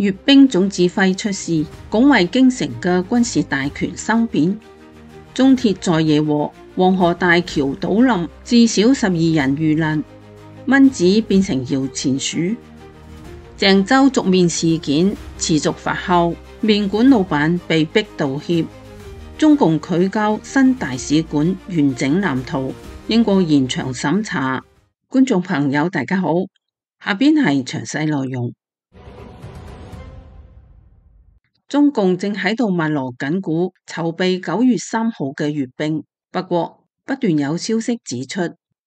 閱兵總指揮出事，拱衛京城嘅軍事大權生變。中鐵在野禍，黃河大橋倒冧，至少12人遇難。蚊子變成搖錢樹。鄭州續面事件持續發酵，麵館老闆被逼道歉。中共拒交新大使館完整藍圖，英國延長審查。觀眾朋友大家好，下邊係詳細內容。中共正喺度密鑼緊鼓籌備9月3號嘅閱兵，不過不斷有消息指出，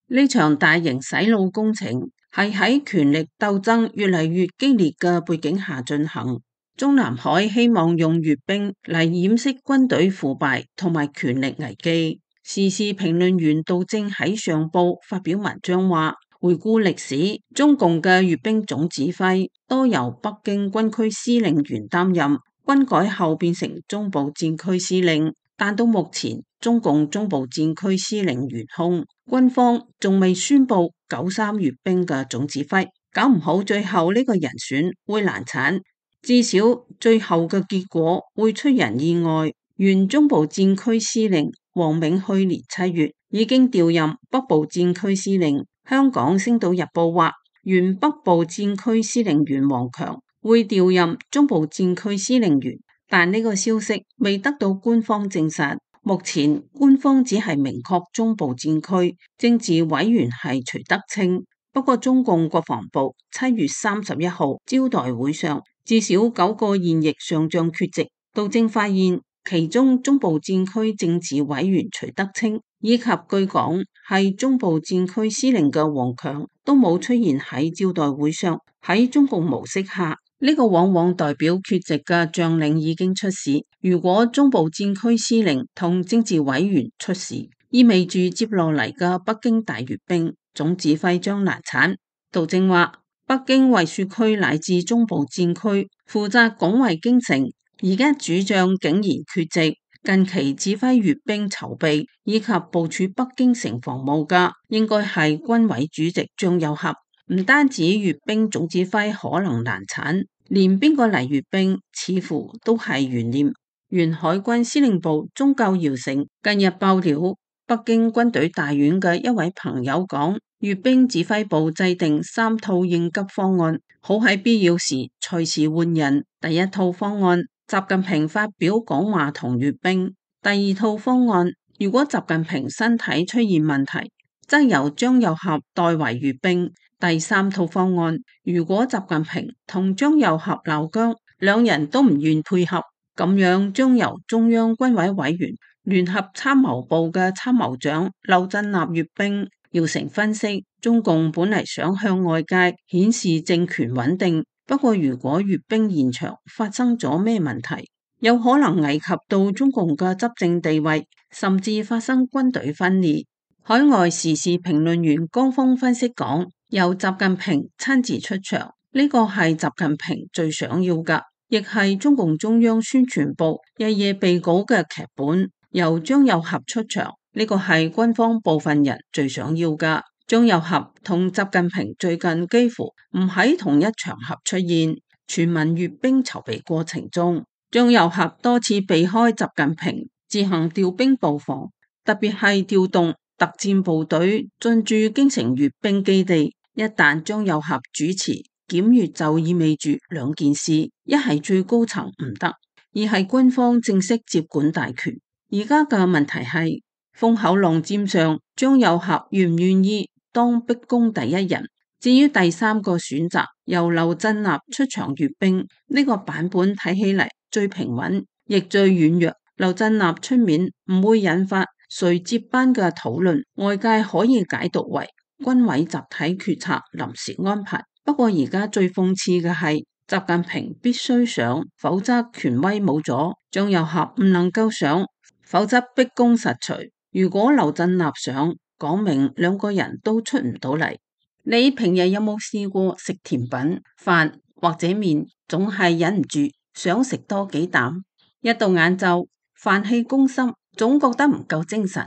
呢場大型洗腦工程係喺權力鬥爭越嚟越激烈嘅背景下進行。中南海希望用閱兵嚟掩飾軍隊腐敗同埋權力危機。時事評論員杜正喺上報發表文章話，回顧歷史，中共嘅閱兵總指揮多由北京軍區司令員擔任。軍改後變成中部戰區司令，但到目前中共中部戰區司令懸空，軍方仲未宣布93閱兵嘅總指揮，搞唔好最後呢個人選會難產，至少最後嘅結果會出人意外。原中部戰區司令王銘去年7月已經調任北部戰區司令。香港星島日報話，原北部戰區司令員王強會調任中部戰區司令員，但呢個消息未得到官方證實。目前官方只係明確中部戰區政治委員係徐德清，不過中共國防部7月31號招待會上，至少9個現役上將缺席。杜正發現其中中部戰區政治委員徐德清以及據講係中部戰區司令嘅王強都冇出現喺招待會上。喺中共模式下，呢個往往代表缺席嘅將領已經出事。如果中部戰區司令同政治委員出事，意味住接落嚟嘅北京大閱兵總指揮將難產。杜正話，北京衛戍區乃至中部戰區負責拱衛京城，而家主將竟然缺席。近期指揮閱兵籌備以及部署北京城防務嘅，應該係軍委主席張又俠。唔單止閱兵總指揮可能難產，連邊個嚟閱兵似乎都係懸念。原海軍司令部中校姚成近日爆料，北京軍隊大院嘅一位朋友講，閱兵指揮部制定3套應急方案，好喺必要時隨時換人。第一套方案，習近平發表講話同閱兵；第二套方案，如果習近平身體出現問題，則由張又俠代為閱兵。第三套方案，如果習近平同張又俠鬧僵，兩人都唔願配合，咁樣將由中央軍委委員、聯合參謀部嘅參謀長劉振立閱兵。姚成分析，中共本嚟想向外界顯示政權穩定，不過如果閱兵現場發生咗咩問題，有可能危及到中共嘅執政地位，甚至發生軍隊分裂。海外時事評論員江峰分析講，由習近平親自出場，呢個係習近平最想要嘅，亦係中共中央宣傳部日夜備稿嘅劇本。由張又俠出場，呢個係軍方部分人最想要嘅。張又俠同習近平最近幾乎唔喺同一場合出現。全民閱兵籌備過程中，張又俠多次避開習近平，自行調兵布防，特別係調動特戰部隊進駐京城閱兵基地。一旦張又俠主持檢閱，就意味住兩件事：一係最高層唔得，二係軍方正式接管大權。而家嘅問題係風口浪尖上，張又俠願唔願意當逼宮第一人？至於第三個選擇，由劉振立出場閱兵，呢個版本睇起嚟最平穩，亦最軟弱。劉振立出面唔會引發誰接班嘅討論，外界可以解讀為軍委集體決策臨時安排。不過而家最諷刺嘅係，習近平必須上，否則權威冇咗；張又俠唔能夠上，否則逼宮實除。如果劉振立上，講明兩個人都出唔到嚟。你平日有冇試過食甜品、飯或者麵，總係忍唔住想食多幾啖？一到晏晝，飯氣攻心，總覺得唔夠精神，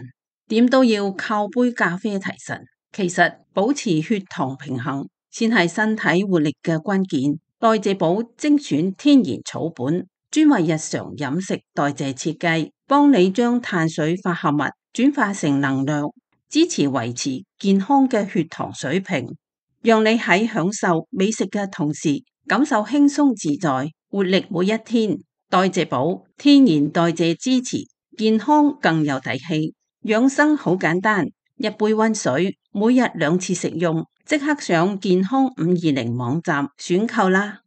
點都要靠杯咖啡提神。其實保持血糖平衡先係身體活力嘅關鍵。代謝寶精選天然草本，專為日常飲食代謝設計，幫你將碳水化合物轉化成能量，支持維持健康嘅血糖水平，讓你喺享受美食嘅同時，感受輕鬆自在，活力每一天。代謝寶天然代謝支持，健康更有底氣。養生好簡單，一杯溫水，每日2次食用，即刻上健康520網站選購啦。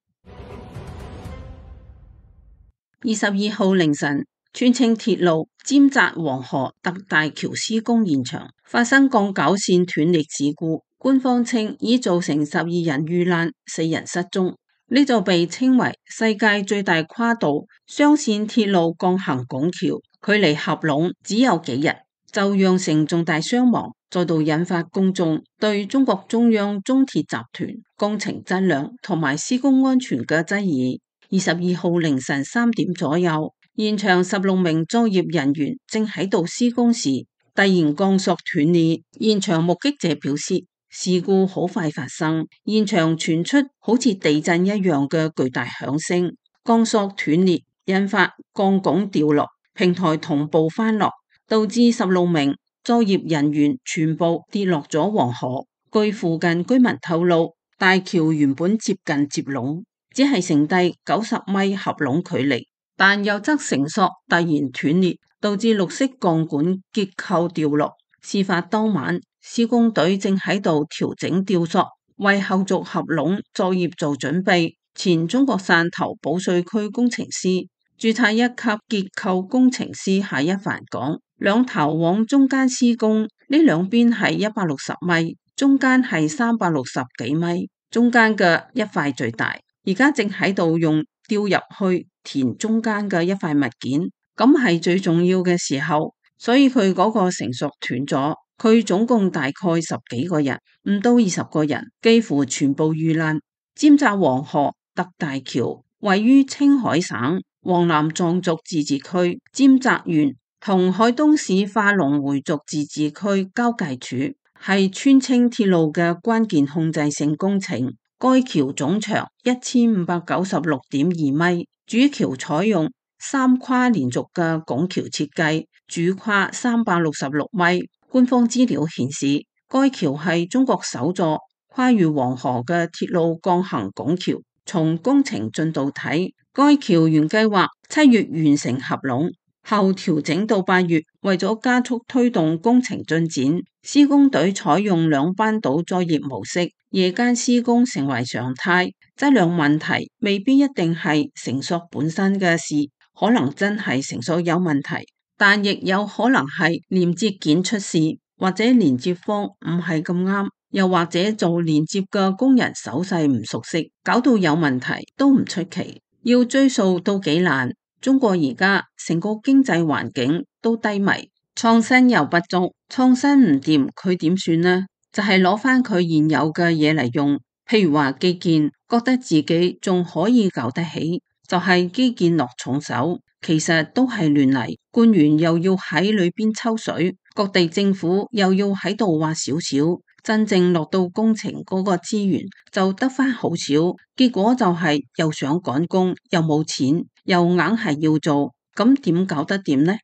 22號凌晨，川青鐵路尖澤黃河特大橋施工現場發生鋼架線斷裂事故，官方稱已造成12人遇難，4人失蹤。呢就被稱為世界最大跨度雙線鐵路鋼行拱橋，距離合攏只有幾日，就釀成重大傷亡，再度引發公眾對中國中央中鐵集團工程質量同埋施工安全嘅質疑。22號凌晨3點左右，現場16名作業人員正喺度施工時，突然鋼索斷裂。現場目擊者表示，事故好快發生，現場傳出好似地震一樣嘅巨大響聲，鋼索斷裂，引發鋼拱掉落，平台同步翻落，導致16名作業人員全部跌落咗黃河。據附近居民透露，大橋原本接近接龍，只係剩低90米合攏距離，但右側繩索突然斷裂，導致綠色鋼管結構掉落。事發當晚，施工隊正喺度調整吊索，為後續合攏作業做準備。前中國汕頭保稅區工程師、註冊1級結構工程師夏一凡講，兩頭往中間施工，呢兩邊係160米，中間係360幾米，中間嘅一塊最大。而家正喺度用吊入去填中間嘅一塊物件，咁係最重要嘅時候，所以佢嗰個繩索斷咗。佢總共大概10幾個人，唔到20個人，幾乎全部遇難。尖澤黃河特大橋位於青海省黃南藏族自治區尖澤縣同海東市化龍回族自治區交界處，係川青鐵路嘅關鍵控制性工程。該橋總長1596.2米，主橋採用3跨連續嘅拱橋設計，主跨366米。官方資料顯示，該橋係中國首座跨越黃河嘅鐵路鋼行拱橋。從工程進度睇，該橋原計劃7月完成合攏，後調整到8月。為咗加速推動工程進展，施工隊採用2班倒作業模式，夜間施工成為常態。質量問題未必一定係繩索本身嘅事，可能真係繩索有問題，但亦有可能係連接件出事，或者連接方唔係咁啱，又或者做連接嘅工人手勢唔熟悉，搞到有問題都唔出奇。要追溯都幾難。中國而家成個經濟環境都低迷，創新又不足，創新唔掂佢點算呢？就係攞翻佢現有嘅嘢嚟用，譬如話基建，覺得自己仲可以搞得起，就係基建落重手，其實都係亂嚟。官員又要喺裏邊抽水，各地政府又要喺度挖少少，真正落到工程嗰個資源就得翻好少，結果就係又想趕工，又冇錢，又硬係要做，咁點搞得掂呢？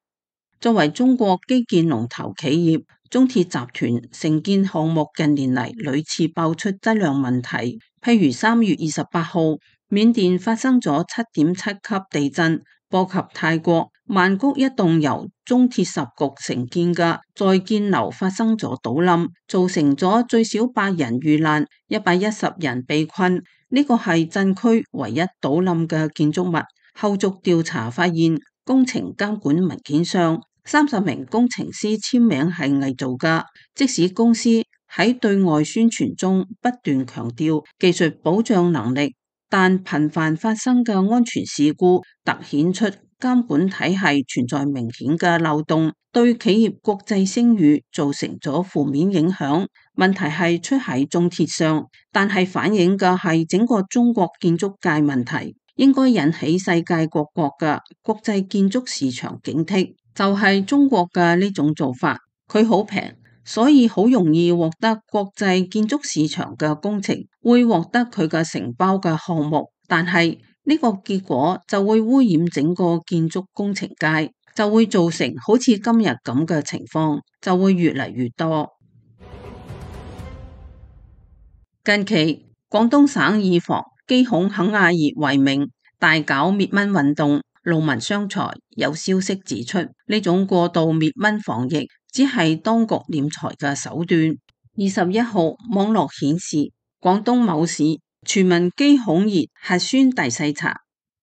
作為中國基建龍頭企業，中鐵集團承建項目近年嚟屢次爆出質量問題，譬如3月28號，緬甸發生咗7.7級地震，波及泰國曼谷一棟由中鐵十局承建嘅在建樓發生咗倒冧，造成咗最少8人遇難，110人被困。呢個係震區唯一倒冧嘅建築物。後續調查發現，工程監管文件上30名工程師簽名係偽造㗎。即使公司喺對外宣傳中不斷強調技術保障能力，但頻繁發生嘅安全事故凸顯出監管體系存在明顯嘅漏洞，對企業國際聲譽造成咗負面影響。問題係出喺中鐵上，但係反映嘅係整個中國建築界問題，應該引起世界各國嘅國際建築市場警惕。就係中國嘅呢種做法，佢好平，所以好容易獲得國際建築市場嘅工程，會獲得佢嘅承包嘅項目。但係呢個結果就會污染整個建築工程界，就會造成好似今日咁嘅情況，就會越嚟越多。近期廣東省以防基孔肯亞熱為名，大搞滅蚊運動，勞民傷財。有消息指出，呢種過度滅蚊防疫只係當局斂財嘅手段。21號網絡顯示，廣東某市全民基孔熱核酸大篩查，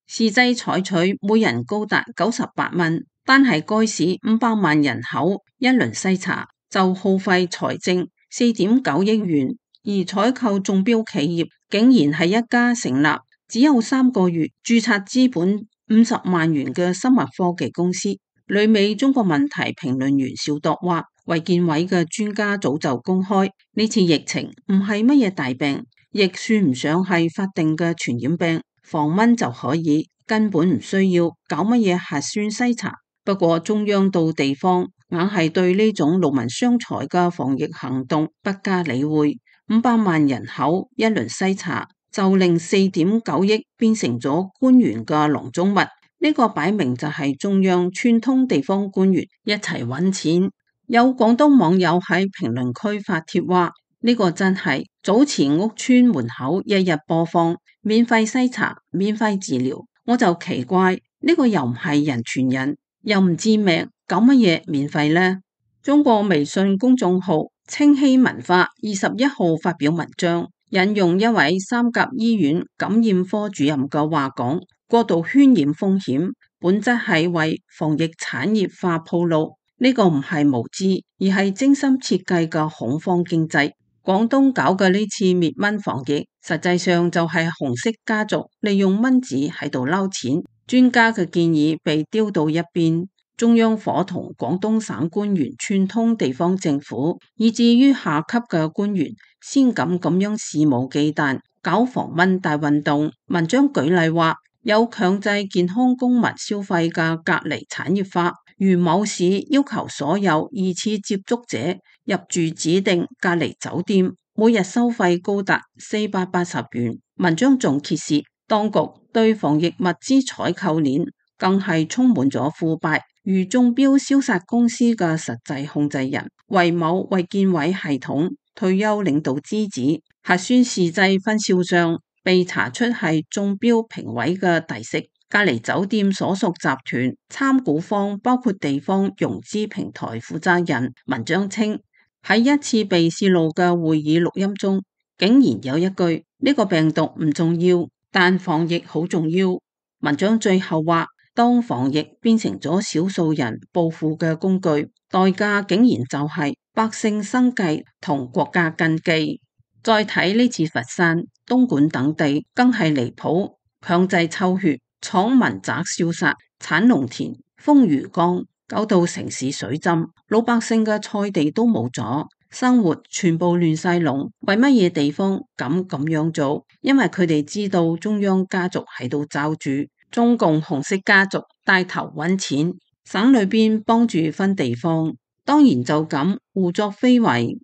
試劑採取每人高達98蚊，單係該市500萬人口一輪篩查就耗費財政4.9億元，而採購中標企業竟然係一家成立只有3個月、註冊資本50萬元嘅生物科技公司。旅美中國問題評論員小鐸話，衛健委嘅專家早就公開，呢次疫情唔係乜嘢大病，亦算唔上係法定嘅傳染病，防蚊就可以，根本唔需要搞乜嘢核酸篩查。不過中央到地方硬係對呢種勞民傷財嘅防疫行動不加理會，500萬人口一輪篩查就令4.9億變成咗官員嘅囊中物。呢個擺明就係中央串通地方官員一齊揾錢。有廣東網友喺評論區發帖話，呢個真係早前屋村門口日日播放免費篩查、免費治療，我就奇怪，呢個又唔係人傳人，又唔致命，搞乜嘢免費呢？中國微信公眾號清熙文化21號發表文章，引用一位三甲醫院感染科主任嘅話講，過度渲染風險，本質係為防疫產業化鋪路。呢個唔係無知，而係精心設計嘅恐慌經濟。廣東搞嘅呢次滅蚊防疫，實際上就係紅色家族利用蚊子喺度撈錢。專家嘅建議被丟到一邊，中央伙同廣東省官員串通地方政府，以至於下級嘅官員先敢咁樣肆無忌憚搞防蚊大運動。文章舉例話，有強制健康公民消費嘅隔離產業化，如某市要求所有二次接觸者入住指定隔離酒店，每日收費高達480元。文章仲揭示，當局對防疫物資採購鏈更係充滿咗腐敗，如中標消殺公司嘅實際控制人為某衛健委系統退休領導之子，核酸試劑分銷商被查出係中標評委嘅弟媳，隔離酒店所屬集團參股方包括地方融資平台負責人。文章稱，喺一次被泄露嘅會議錄音中，竟然有一句，呢個病毒唔重要，但防疫好重要。文章最後話，當防疫變成咗少數人暴富嘅工具，代價竟然就係百姓生計同國家根基。再睇呢次佛山、東莞等地更係離譜，強制抽血、廠民宅消殺、產農田、封魚缸，搞到城市水浸，老百姓嘅菜地都冇咗，生活全部亂晒龍。為乜嘢地方敢咁樣做？因為佢哋知道中央家族喺度罩住，中共紅色家族帶頭揾錢，省裏邊幫住分地方，當然就咁胡作非為。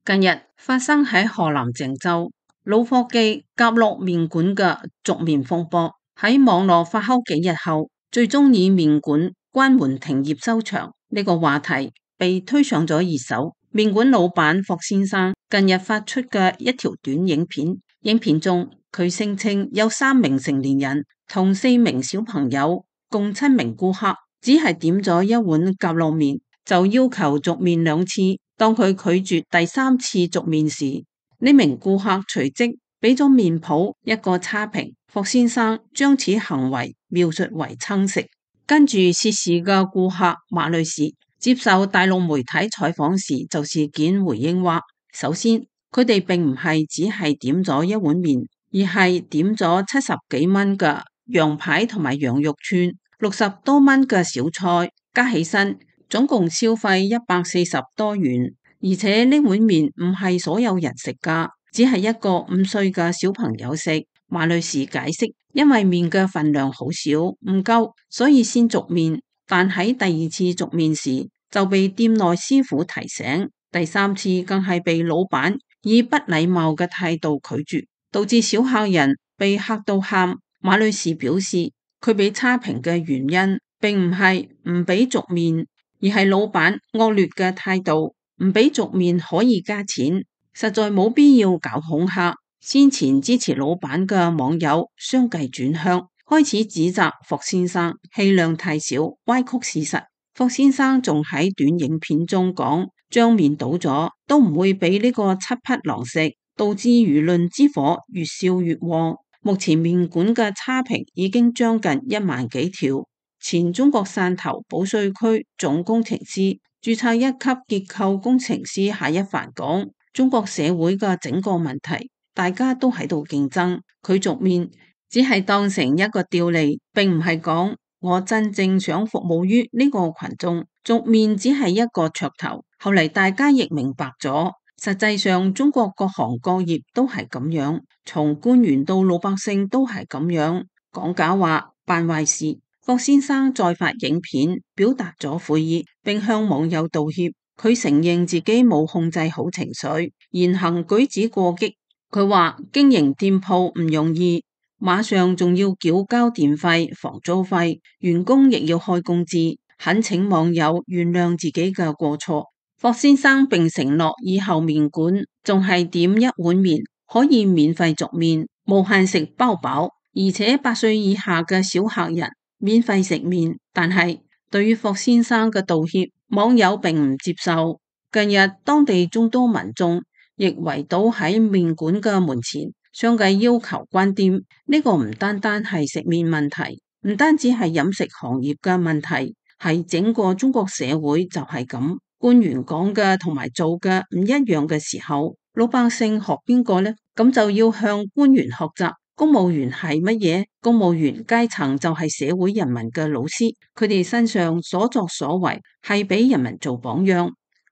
近日發生喺河南鄭州老夥計夾落麵館嘅續麵風波，喺網絡發酵幾日後，最終以麵館關門停業收場呢個話題被推上咗熱搜。麵館老闆霍先生近日發出嘅一條短影片，影片中佢聲稱有3名成年人同4名小朋友共7名顧客，只係點咗一碗夾落麵就要求續麵2次。當佢拒絕第3次續麵時，呢名顧客隨即俾咗麵鋪一個差評。霍先生將此行為描述為蹭食。跟住涉事嘅顧客馬女士接受大陸媒體採訪時就事件回應話，首先佢哋並唔係只係點咗一碗麵，而係點咗70幾蚊嘅羊排同埋羊肉串，60多蚊嘅小菜，加起身總共消費140多元，而且呢碗麵唔係所有人食噶，只係一個5歲嘅小朋友食。馬女士解釋，因為麵嘅份量好少，唔夠，所以先續麵。但喺第2次續麵時，就被店內師傅提醒，第3次更係被老闆以不禮貌嘅態度拒絕，導致小客人被嚇到喊。馬女士表示，佢俾差評嘅原因並唔係唔俾續面，而係老闆惡劣嘅態度。唔俾續面可以加錢，實在冇必要搞恐嚇。先前支持老闆嘅網友相繼轉向，開始指責霍先生氣量太小，歪曲事實。霍先生仲喺短影片中講，將面倒咗都唔會俾呢個七匹狼食，導致輿論之火越燒越旺。目前麵館嘅差評已經將近1萬幾條。前中國汕頭保稅區總工程師、註冊1級結構工程師夏一凡講，中國社會嘅整個問題，大家都喺度競爭，佢續面只係當成一個調利，並唔係講我真正想服務於呢個群眾，續面只係一個噱頭。後嚟大家亦明白咗，實際上中國各行各業都係咁樣，從官員到老百姓都係咁樣，講假話、辦壞事。霍先生再發影片表達咗悔意，並向網友道歉。佢承認自己冇控制好情緒，言行舉止過激。佢話經營店鋪唔容易，馬上仲要繳交電費、房租費，員工亦要開工資，懇請網友原諒自己嘅過錯。霍先生並承諾以後麵館仲係點一碗麵可以免費續面，無限食包飽，而且8歲以下嘅小客人免費食麵。但係對於霍先生嘅道歉，網友並唔接受。近日當地眾多民眾亦圍堵喺麵館嘅門前，相繼要求關店。呢個唔單單係食麵問題，唔單止係飲食行業嘅問題，係整個中國社會就係咁。官員講嘅同埋做嘅唔一樣嘅時候，老百姓學邊個呢？咁就要向官員學習。公務員係乜嘢？公務員階層就係社會人民嘅老師，佢哋身上所作所為係俾人民做榜樣。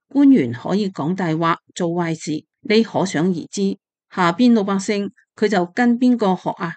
官員可以講大話、做壞事，你可想而知，下邊老百姓佢就跟邊個學啊？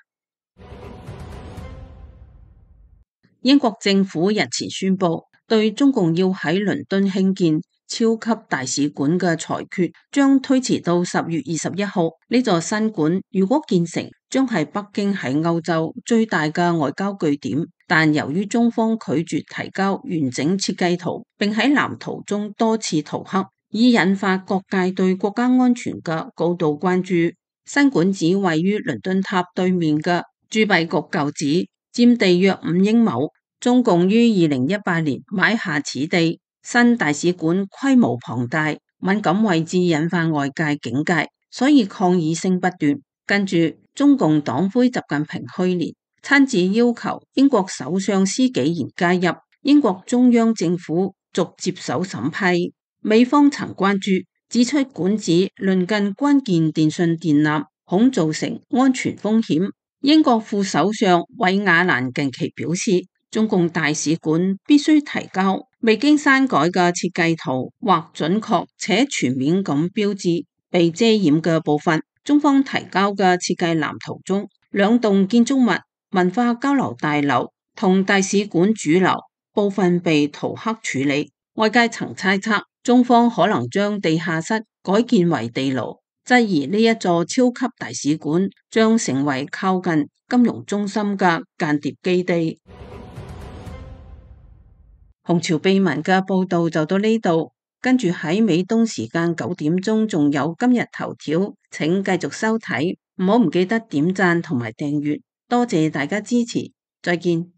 英國政府日前宣布，對中共要喺倫敦興建超級大使館嘅裁決將推遲到10月21號。呢座新館如果建成，將係北京喺歐洲最大嘅外交據點。但由於中方拒絕提交完整設計圖，並喺藍圖中多次塗黑，已引發各界對國家安全嘅高度關注。新館址位於倫敦塔對面嘅鑄幣局舊址，佔地約5英畝。中共於2018年買下此地，新大使館規模龐大，敏感位置引發外界警戒，所以抗議聲不斷。跟住，中共黨魁習近平去年親自要求英國首相施紀賢加入，英國中央政府逐接手審批。美方曾關注，指出館址鄰近關鍵電信電纜，恐造成安全風險。英國副首相韋亞蘭近期表示，中共大使館必須提交未經刪改嘅設計圖，或準確且全面咁標誌被遮掩嘅部分。中方提交嘅設計藍圖中，2棟建築物、文化交流大樓同大使館主樓部分被塗黑處理。外界曾猜測，中方可能將地下室改建為地牢，質疑呢一座超級大使館將成為靠近金融中心嘅間諜基地。紅潮秘聞嘅報道就到呢度，跟住喺美東時間9點鐘仲有今日頭條，請繼續收睇，唔記得點讚同埋訂閱，多謝大家支持，再見。